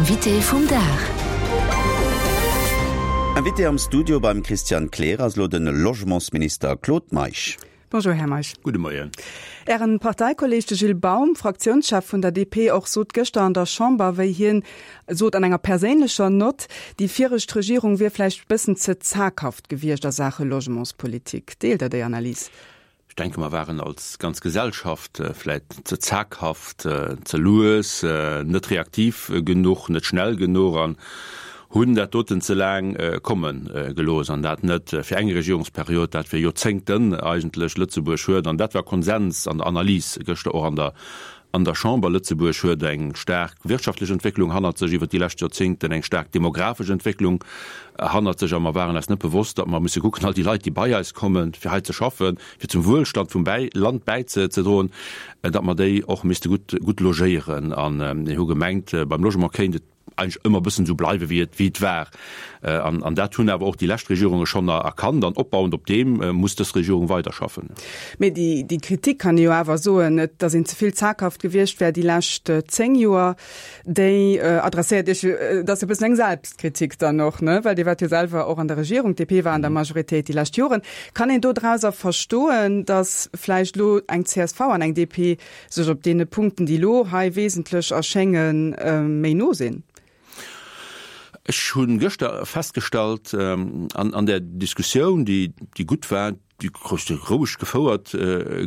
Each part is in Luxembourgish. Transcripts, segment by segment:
Invité vum Dag. Invité am Studio beim Christian Kleer ass elo de Logementsminister Claude Meisch. Bonjour Här Meisch. Gudde Moien. Ären Parteikolleg, de Gilles Baum, Fraktiounschef vun der DP och, sot gëschter an der Chamber, wéi hien sot an enger perséinlecher Nott, déi viregt Regierung wier vläicht bëssen ze zaghaft gewiescht a Saache Logementspolitik. Deelt Der déi Analys? Ech denke mer waren als ganz Gesellschaft vläit ze zaghaft, ze lues, net reaktiv genuch, net schnell genuch an hunn dat doten ze laang komme gelooss. An dat net fir eng Regierungsperiod, dat fir Joerzéngten eigentlech. Lëtzebuerg huet, an dat war Konsens an der Analys gëschter och an der an der Chamber, Lëtzebuerg huet eng staark wirtschaftlech Entwécklung hannert sech iwwert déi lescht Joerzéngten, eng staark demografesch Entwécklung hannert sech a mer waren eis net bewosst, datt mer musse kucken, all déi Leit, déi bei eis kommen, fir hei ze schaffen, fir zum Wuelstand vum Land bäizedroen, datt mer déi och misste gutt, gutt logéieren. A mir hu gemengt, beim Logement kéint et eigentlech ëmmer e bëssen esou bleiwe wéi et wéi et war. An an dat hunn awer och déi lescht Regierunge schonn erkannt an opbauend op deem muss dës Regierung weiderschaffen. Mee déi déi Kritik kann ee jo awer soen, et datt een ze vill zaghaft gewiescht wär déi lescht 10 Joer, déi adresséiert Iech jo, et ass jo e bëssen eng Selbstkritik dann och, ne, well Dir waart jo selwer och an der Regierung, d'DP war an der Majoritéit déi lescht Joren. Kann een dodrauser verstoen, datt vläicht elo eng csv an eng DP sech op deene Punkten, déi elo hei wesentlech erschéngen, méi no sinn. Ech hu gëschter festgestallt an där Diskussioun, déi gutt war, déi roueg gefouert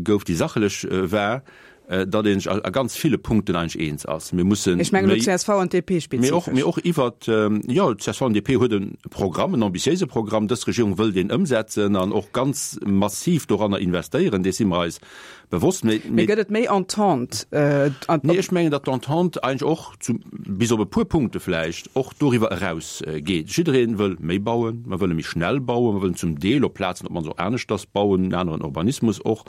gouf, déi sachlech war, datt ee sech a ganz ville Punkten eigentlech eens ass. Mir musse méi. Ech mengen elo csv an DP spezifesch. Mee och iwwert, jo, csv an DP huet e Programm, en ambitiéise Programm. Dës Regierung wëll deen ëmsetzen an och ganz massiv doranner investéieren. Dees si mer eis bewosst. Mee, mee gëtt et méi Entente? Äh, nee, ech mengen, datt d'Entente eigentlech och, zu, bis op e puer Punkte vläicht, och doriwwer eraus geet. Jidderee wëll méi bauen, mer wëlle méi schnell bauen, mer wëllen zum Deel op Plazen op d'mannst och aneschters bauen, en aneren Urbanismus och,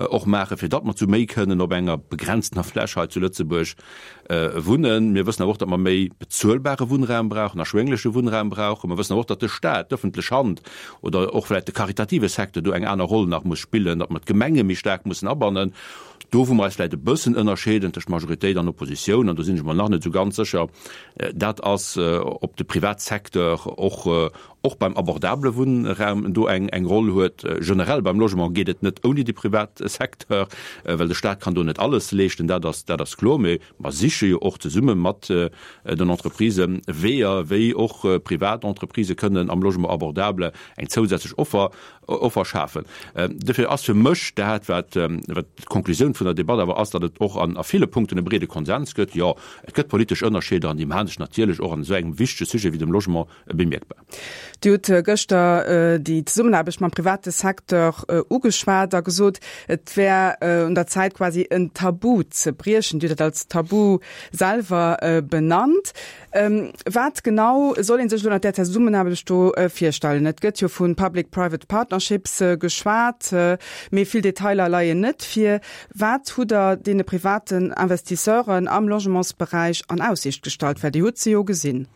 och maachen, fir datt mer zu méi kënnen op enger begrenztener Fläch hei zu Lëtzebuerg Wunnen. Mir wëssen awer och, datt mer méi bezuelbare Wunnraum brauchen, erschwéngleche Wunnraum brauchen. Mer wëssen awer och, datt de Staat, d'ëffentlech Hand oder och vläicht de karitative Secteur do eng aner Roll nach muss spillen, datt mer d'Gemenge méi staark mussen abannen. Do, wou mer eis vläicht e bëssen ënnerscheeden tëscht Majoritéit an Oppositioun, an do sinn ech mer nach net esou ganz sécher, dat ass, ob de Privatsecteur och och beim abordabele Wunnraum do eng eng Roll huet. Generell beim Logement geet et net ouni de Privatsecteur, well de Staat kann do net alles leeschten, dat ass dat ass kloer. Mee mer siche jo och zesumme mat den Entreprisë Weeër, wéi och privat Entreprisë kënnen am Logement abordable eng zousätzlech Offer Offer schafen. Dofir ass fir mech dat, wat wat d'Konklusioun vun der Debatt awer ass, datt et och an a ville Punkten e breede Konsens gëtt. Jo, et gëtt politesch Ënnerscheeder an déi maache sech natierlech och an esou engem wichtege Sujet wéi dem Logement bemierkbar. Dir hutt gëschter déi Zesummenaarbecht mam private Secteur ugeschwat a gesot, et wär un der Zäit quasi en Tabu ze briechen. Dir hutt dat als Tabu selwer benannt. Wat genau soll ee sech elo ënnert där Zesummenaarbecht do virstellen? Et gëtt jo vu Public-Private Partnerships geschwat, mee vill Detailer leien net vir. Wat hutt Der deene privaten Investisseuren am Logementsberäich an Aussiicht gestallt? Well Dir hutt se jo gesinn.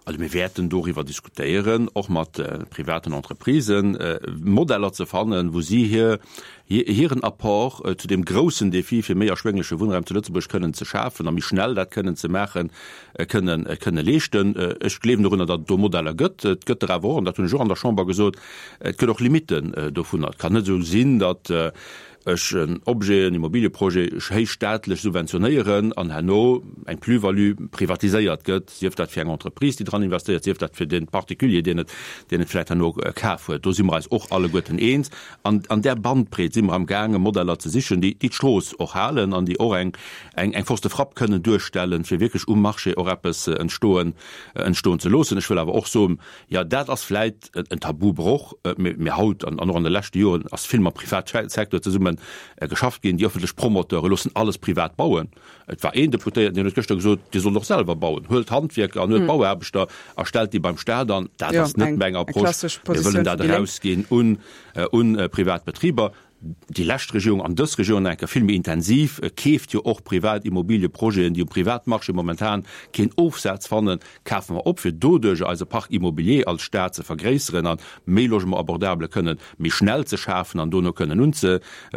Also mir wäerten doriwwer diskutéieren, och mat privaten Entreprisen, Modeller ze fannen, wou si hir, hiren Apport zu deem groussen Défi fir méi erschwéngleche Wunnraum zu Lëtzebuerg kënnen ze schafen a méi schnell dat kënnen ze maachen, kënnen, kënne leeschten. Ech gleewen dorunner, datt et do Modeller gëtt. Et gëtt der awer och, an dat hunn ech och an der Chamber gesot, et gëtt och Limitten dovunner. Et kann net esou sinn, datt ech en Objet, en Immobilieprojet héich staatlech subventionéieren an herno eng Plus-value privatiséiert gëtt, sief dat fir eng Entreprise, déi dran investéiert, sief dat fir de Particulier, deen et, deen et vläicht herno kaf huet. Do si mer eis och alleguerten eens. An an där Bandbreet si mer amgaangen, Modeller ze sichen, déi, déi d'Strooss och halen an déi och eng, eng, eng Force de frappe kënnen duerstellen, fir wierklech um Marché och eppes entstoen, entstoen ze loossen. Ech wëll awer och soen, Jo, dat ass vläit en Tabubroch, mee haut an och an de leschte Joren ass vill mam Privatsecteur zesumme geschafft ginn. Déi ëffentlech Promoteure loossen alles privat bauen. Et war een Deputéierten, deen huet gëschter gesot, Dir sollt och selwer bauen. Huelt Handwierker an huelt Bauaarbechter a stellt déi beim Staat an. Dat ass net meng Approche. Mir wëllen dat erausginn un privat Betriber. Déi lescht Regierung an dës Regierung nach eng Kéier vill méi intensiv, keeft jo och privat Immobilieprojeten, déi um Privatmarché momentan keen Ofsaz fannen, kafe mer op, fir doduerjer eise Parc immobilier als Stad ze vergréisseren a méi Logement abordable kënnen méi schnell ze schafen an dono kënnen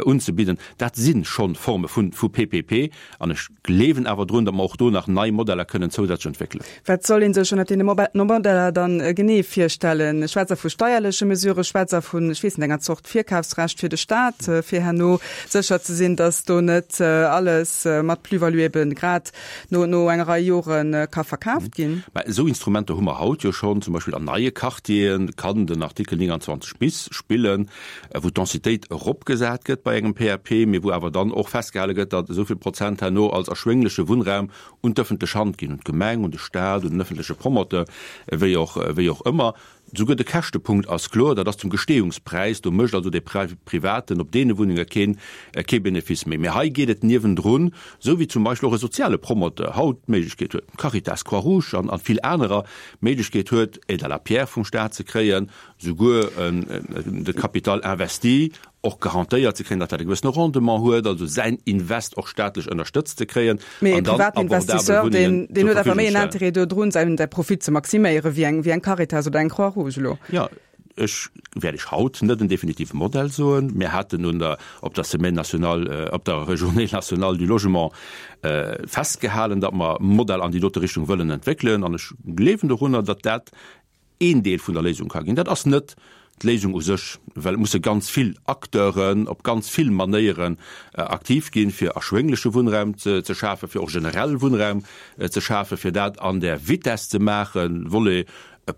unzebidden. Dat si scho Forme vu PPP. An ech gleewen awer drun, datt mer och do nach nei Modeller kënnen zousätzlech entwéckelen. Wat soll ee sech ënnert deene Modeller dann genee virstellen? Schwätzt Der vu steierleche Mesuren? Schwätzt Der vun, ech weess net, enger Zort Virkafsrecht fir de Staat, fir herno sécher ze sinn, datt do net alles mat Plus-value ebe grad no no enger Rei Jore ka verkaaft ginn? Mä esou Instrumenter hu mer haut jo schonn. Zum Beispill an neie Quartiere kann den Artikel 29 bis spillen, wou d'Densitéit eropgesat gëtt bei engem PAP, mee wou awer dann och festgehale gëtt, datt esou vill Prozent herno als erschwéngleche Wunnraum un d'ëffentlech Hand ginn, un d'Gemeng, un de Staat, un den ëffentleche Promoteur, wéi och, wéi och ëmmer. Souguer de Käschtepunkt ass kloer, dat ass zum Gestehungspräis, do mécht also dee Privaten op deene Wunnenge keen, kee Benefice méi. Mee hei geet et niewendrun, esou wéi zum Beispill och e soziale Promoteur haut d'Méiglechkeet huet, d'Caritas, Croix-Rouge an vill anerer, d'Méiglechkeet huet, Aide à la pierre vum Staat ze kréien, souguer de Capital investi och garantéiert ze kréien, datt dat e gewëssene Rendement huet, also säin Invest och staatlech ënnerstëtzt ze kréien. Mee e privaten Investisseur, deen huet awer méi en Intérêt dodrun, säin Profit ze maximéieren, wéi eng, wéi eng Caritas oder eng Croix-Rouge elo. Jo, ech wäert Iech haut net en definitive Modell soen. Mir haten un der, op der Semaine nationale, op der Journée nationale du logement festgehalen, datt mer e Modell an déi dote Richtung wëllen entwéckelen. An ech gleewen dorunner, datt dat een Deel vun der Léisung ka ginn. Dat ass net d'Léisung u sech, well et musse ganz vill Acteuren op ganz vill Manéieren aktiv ginn, fir erschwéngleche Wunnraum ze schafen, fir och generell Wunnraum ze schafen, fir dat an där Vitesse ze maachen, Volet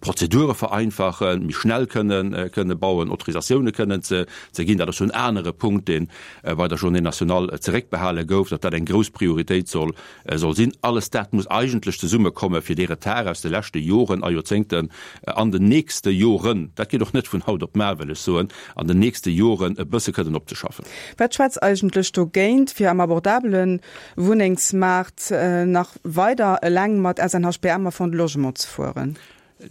Prozedure vereinfachen, méi schnell kënnen kënne bauen, Autorisatioune kënnen ze ginn. Dat ass jo en anere Punkt, dee bei der Journée nationale zeréckbehale gouf, datt dat eng grouss Prioritéit soll soll sinn. Alles dat muss eigentlech zesummekomme fir dee Retard aus de leschte Joren a Joerzéngten an den nächste Joren, dat geet och net vun haut op mar, wëll ech soen, an den nächste Joren e bësse kënnen opzeschaffen. Wat schwätzt eigentlech dogéint, fir am abordabele Wunnengsmaart nach weider eleng mat SNHBM a Fonds de Logement ze fueren?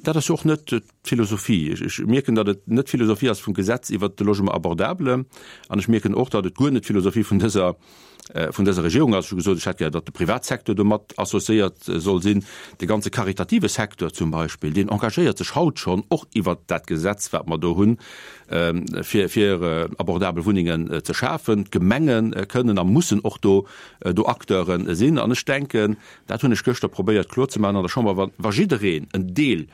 Dat ass jo och net d'Philosophie. Ech mierken, datt et net d'Philosophie ass vum Gesetz iwwert de Logement abordable an ech mierken och, datt et guer net d'Philosophie vun dëser, vun dëser Regierung ass. Ech hu gesot, ech hätt gär, datt de Privatsecteur do mat associéiert soll sinn. De ganze karitative Secteur zum Beispill, deen engagéiert sech haut schonn och iwwert dat Gesetz, wat mer do hunn, fir, fir abordabel Wunnengen ze schafen. D'Gemenge kënnen a mussen och do, do Acteure sinn. An ech denken, Dat hunn ech gëschter probéiert kloerzemaachen an der Chamber, wa, wa jiddereen en Deel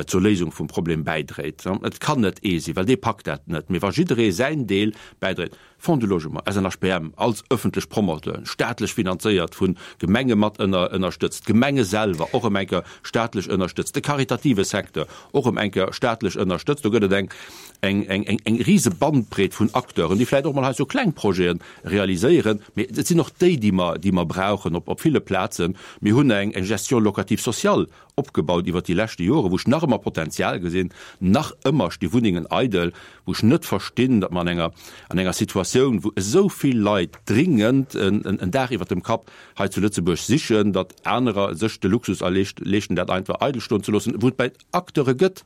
zur Léisung vum Problem bäidréit, et kann net ee sinn, well dee packt dat net, mee wa jidderee säin Deel bäidréit, Fonds du Logement, SNHBM als ëffentlech Promoteuren, staatlech finanzéiert, vu Gemenge mat ënner, ënnerstëtzt, d'Gemenge selwer och ëm eng Kéier staatlech ënnerstëtzt, de karitative Secteur och ëm eng Kéier staatlech ënnerstëtzt, do gëtt et eng, eng, eng, eng, eng rise Bandbreet vun Acteuren, déi vläicht och mol hei sou kleng Projeten realiséieren, mee et sinn och déi, déi mer, déi mer brauchen op, op ville Plazen. Mir hunn eng, eng Gestion locative sociale opgebaut iwwert déi leschte Joren, wou ech nach ëmmer Potenzial gesinn. Nach ëmmer sti Wunnengen eidel, wou ech net verstinn, datt mer an enger, an enger Situatioun, wou esou vill Leit dringend en, en Daach iwwert dem Kapp hei zu Lëtzebuerg sichen, datt anerer sech de Luxus erleescht, leeschten, dat einfach eidel stoen ze loossen, wou et bäi Acteure gëtt,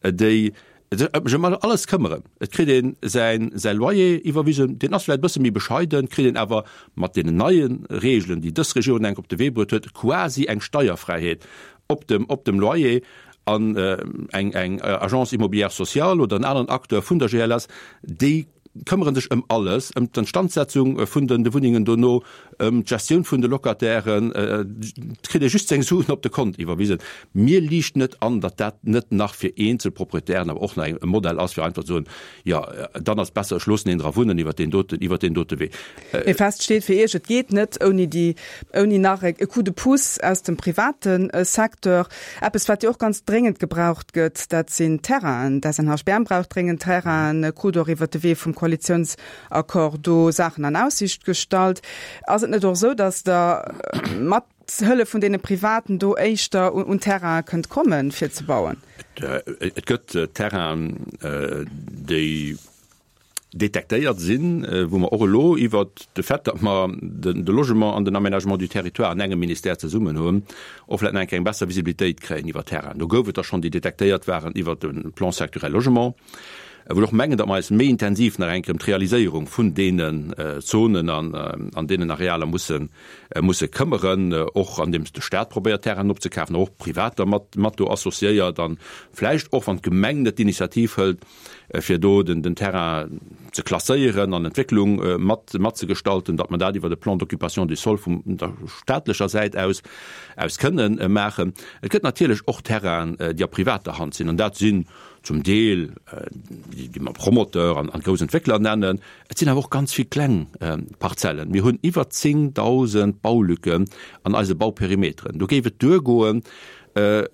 déi sech ëm alles këmmeren. Et kritt een säin säi Loyer iwwerwisen, deen ass vläicht e bësse méi bescheiden, kritt een awer mat deenen neie Reegelen, déi dës Regierung enk op de Wee bruet huet, quasi eng Steierfräiheet op dem op dem Loyer. An eng eng Agence immobilière sociale oder en aneren Acteur vun der GLS, déi këmmere sech ëm alles, ëm d'Instandsetzung vun de Wunnengen dono, ëm d'Gestioun vun de Locatairen. Et kritt ee just seng Suen op de Kont iwwerwisen. Mir liicht net an, datt dat net nach fir eenzel Proprietären awer och nach e Modell ass, fir einfach ze soen, jo, dann ass et besser, ech loossen een dra wunnen iwwer deen doten, iwwer deen dote Wee. Mee fest steet fir Iech, et geet net ouni déi, ouni nach e Coup de pouce aus dem private Secteur. Eppes, wat jo och ganz dréngend gebraucht gëtt, dat sinn Terrainen. D'SNHBM brauch dréngend Terrainen, krut och iwwert de Wee vum Koalitiounsaccord do Saachen an Aussicht gestallt. Ass et net och esou, datt Der mat Hëllef vun deene Privaten do éischter un Terraine kënnt kommen, fir ze bauen? Et gëtt Terrainen, déi detektéiert sinn, wou mer och elo iwwert de Fait, datt mer de Logement an den Aménagement du territoire an engem Ministère zesummen hunn, och vläicht nach eng Kéier eng besser Visibilitéit kréien iwwer Terrainen. Do gouf et der schonn, déi detektéiert waren iwwert de Plan sectoriel Logement. Wou ech och mengen, datt mer eis méi intensiv nach eng Kéier ëm d'Realiséierung vun deenen Zonen an an deenen Arealer mussen, musse këmmeren, och andeems de Stat probéiert Terrainen opzekafen, och Privater mat, mat do associéiert an vläicht och, wann d'Gemeng net d'Initiativ hëlt, fir do den, den Terrain ze klasséieren an Entwécklung mat, matzegestalten, datt mer dat iwwer e Plan d'occupation du sol vum der staatlecher Säit aus, aus kënnen maachen. Et gëtt natierlech och Terrainen, déi a privater Hand sinn, an dat sinn zum Deel déi, déi mer Promoteur an, an grouss Entwéckler nennen. Et sinn awer och ganz vill kleng Parzellen. Mir hunn iwwer 10.000 Baulücken an eise Bauperimeteren. Do géif et duergoen, e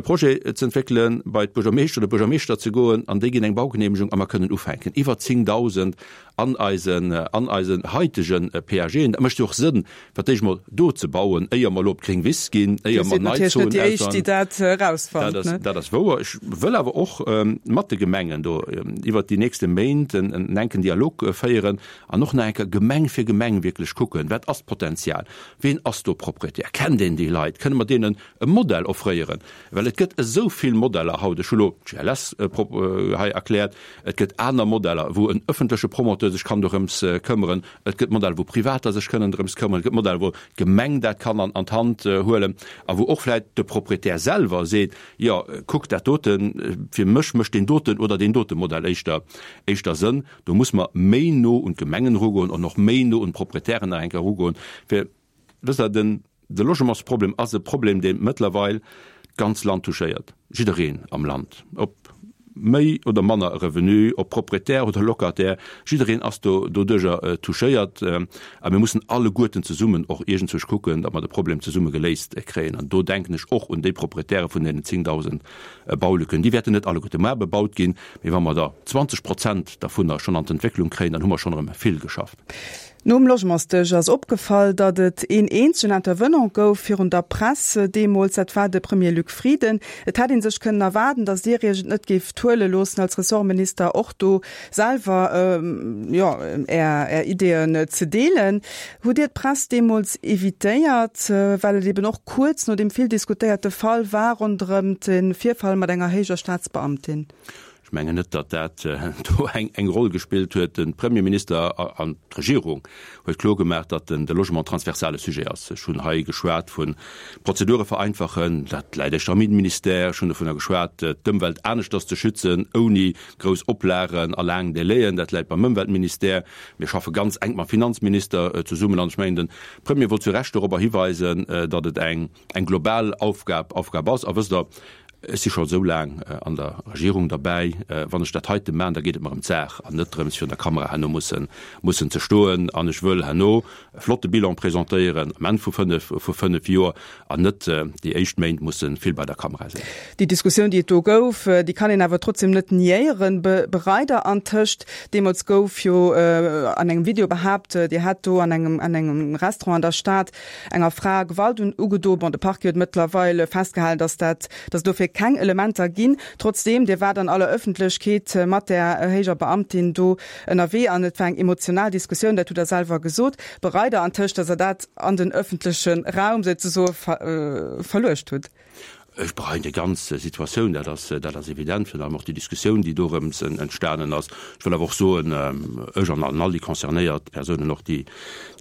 Projet ze entwéckelen, bei d'Buergermeeschter oder Buergermeeschter ze goen an déi ginn eng Baugeneemegung a mer kënnen ufänken. Iwwer 10.000 an eisen, an eisen haitege PAGen. Dat mécht jo och Sënn, fir d'éischt mol do ze bauen, éier mer elo op d'gréng Wiss ginn, éier mer nei Zonen ausbauen. Dat ass, dat ass wouer. Ech wëll awer och mat de Gemengen do iwwert déi nächste Méint en enken Dialog féieren an och nach eng Kéier Gemeng fir Gemeng wierklech kucken, Wat ass d'Potenzial? Ween ass do Proprietär? Kennt een déi Leit? Kënne mer deenen e Modell offréieren? Well et gëtt esou vill Modeller haut, ech hu lo d'GLS hei erkläert, et gëtt aner Modeller, wou en ëffentleche Promoteur sech kann dorëms këmmeren, et gëtt Modeller, wou Privater sech kënnen drëms këmmeren, et gëtt Modeller, wou d'Gemeng dat kann an d'Hand huelen a wou och vläicht de Proprietär selwer seet, jo kuck dat doten, fir mech mécht deen doten oder deen dote Modell éischter éischter Sënn. Do muss mer méi no un d'Gemengen erugoen an och méi no un d'Proprietären nach eng Kéier erugoen, fir, wësst Der, den De Logementsproblem ass e Problem, dee mëttlerweil d'ganz Land touchéiert, jiddereen am Land, ob méi oder manner Revenu, ob Proprietär oder Locataire, jiddereen ass do doduerjer touchéiert. A mir mussen alleguerten zesummen och iergendzwousch kucken, datt mer de Problem zesumme geléist kréien. An do denken ech och un déi Proprietäre vun deenen 10.000 Baulücken. Déi wäerten net alleguerte mar bebaut ginn, mee wa mer der 20 Prozent dervunner schonn an d'Entwécklung kréien, dann hu mer schonn erëm vill geschafft. Nom Logementsdësch ass opgefall, datt et een eenzegen Intervenant gouf virun der Press deemools, dat war de Premier Luc Frieden. Et hätt ee sech kënnen erwaarden, datt Dir Iech et net géift huele loossen, als Ressortminister och do selwer, jo, Är Ideeën ze deelen. Hutt Dir d'Press deemools evitéiert, well et eben och kuerz no deem vill diskutéierte Fall war ronderëm de Virfall mat enger héijer Staatsbeamtin? Ech mengen net, datt dat do eng Roll gespillt huet. De Premierminister an d'Regierung huet kloergemaach, datt de Logement transversal e Sujet ass. Ech hunn hei geschwat vu Prozedure vereinfachen, dat läit éischter am Innenministère. Ech hunn dovunner geschwat, d'Ëmwelt aneschters ze schützen, ouni grouss Oplagen a laang Délaiën, dat läit beim Ëmweltministère. Mir schaffe ganz enk mam Finanzminister zesummen an ech mengen, de Premier wollt zu Recht dorobber hiweisen, datt et eng global Aufgab ass. A wësst Der, Ech si scho esou laang an der Regierung derbäi. Wann ech dat heite maachen, da geet et mer ëm d'Saach an net drëms, virun der Kamera herno mussen, mussen ze stoen. An ech wëll herno e flotte Bilan presentéieren am Enn vu fënnef, vu fënnef Joer an net déi éischt Méint musse vill bei der Kamera sinn. Déi Diskussioun, déi et do gouf, déi kann een awer trotzdem net niéieren. Bereit Der antëscht? Deemools gouf jo an engem Video behaapt, Dir hätt do an engem, an engem Restaurant an der Stad enger Fra Gewalt ugedo. Bon, de Parquet huet mëttlerweil festgehalen, dass dat, dass et dofir keng Elementer ginn. Trotzdeem, Dir waart an aller Ëffentlechkeet mat där héijer Beamtin do ënnerwee an et war eng emotional Diskussioun, dat hutt Der selwer gesot. Bereit Der antëscht, dass Der dat an den ëffentleche Raum souzesoe verluecht hutt? Ech bereien déi ganz Situatioun, dat ass, dat ass evident, virun allem och déi Diskussioun, déi dorëms entstanen ass. Ech wëll awer och soen, ech an all déi concernéiert Persounen, och déi,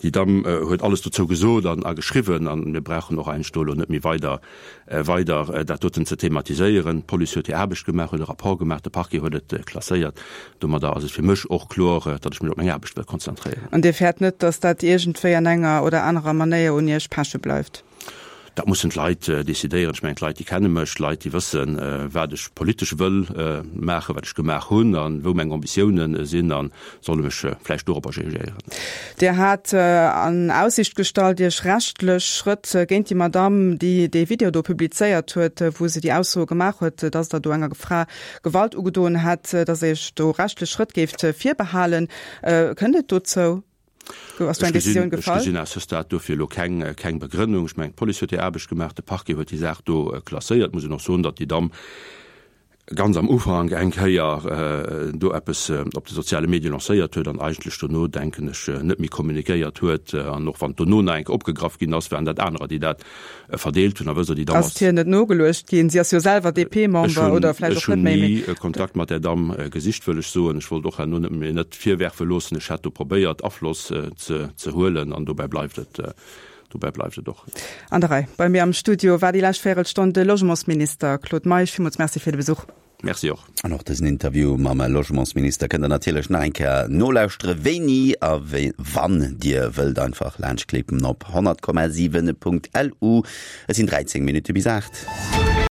déi Damm huet alles dozou gesot an a geschriwwen an mir brauchen och eigentlech do elo net méi weider, weider dat doten ze thematiséieren. D'Police huet hir Aarbecht gemaach, huet e Rapport gemaach, de Parquet huet et klasséiert. Domadder ass et fir mech och kloer, datt ech mech op meng Aarbecht wëll konzentréieren. An Dir fäert net, datt dat iergendwéi an enger oder anerer Manéier un Iech peche bleift? Dat mussen d'Leit decidéieren. Ech mengen, d'Leit, déi kenne mech, d'Leit, déi wëssen, wat ech politesch wëll maachen, wat ech gemaach hunn a wou meng Ambitiounen sinn a solle mech vläicht dorobber jugéieren. Dir hat an Aussicht gestallt, Iech rechtlech Schrëtt géint déi Madamm, déi dee Video do publizéiert huet, wou se déi Aussoe gemaach huet, dass Der do enger Fra Gewalt ugedoen hätt, dass Der Iech do rechtlech Schrëtt géift virbehalen. Kënnt et dozou? Ass do eng Decisioun gefall? Ech gesinn à ce stade dofir elo keng, keng Begrënnung. Ech mengen, d'Police huet hir Aarbecht gemaach, de Parquet huet déi Saach do klasséiert. Muss een och soen, datt déi Damm. ganz am Ufank eng Kéier do eppes op de soziale Medie lancéiert huet an eigentlech dono, denken ech, net méi kommunikéiert huet. An och wann dono nach eng Kéier opgegraff ginn ass, waren dat anerer, déi dat verdeelt hunn. A wësst Der, déi Damm ass. Ass hir net nogeluecht ginn? Si ass jo selwer DP-Member oder vläicht och net méi. Ech hunn ni Kontakt mat där Damm gesicht, wëll ech soen. Ech wollt och herno net mir net virwerfe loossen, ech hätt do probéiert, Afloss ze huelen an dobäi bleift et. Dobäi bleift et och. An der Rei. Bei mir am Studio war déi lescht Véierelstonn de Logementsminister Claude Meisch. Villmools Merci fir de Besuch. Merci och. An och dësen Interview mam Logementsminister kënnt der natierlech nach eng Kéier nolauschtere wéini a wéi wann Dir wëllt. Einfach laanschtklicken op 100,7.lu. Et sinn 13 Minutte bis 8.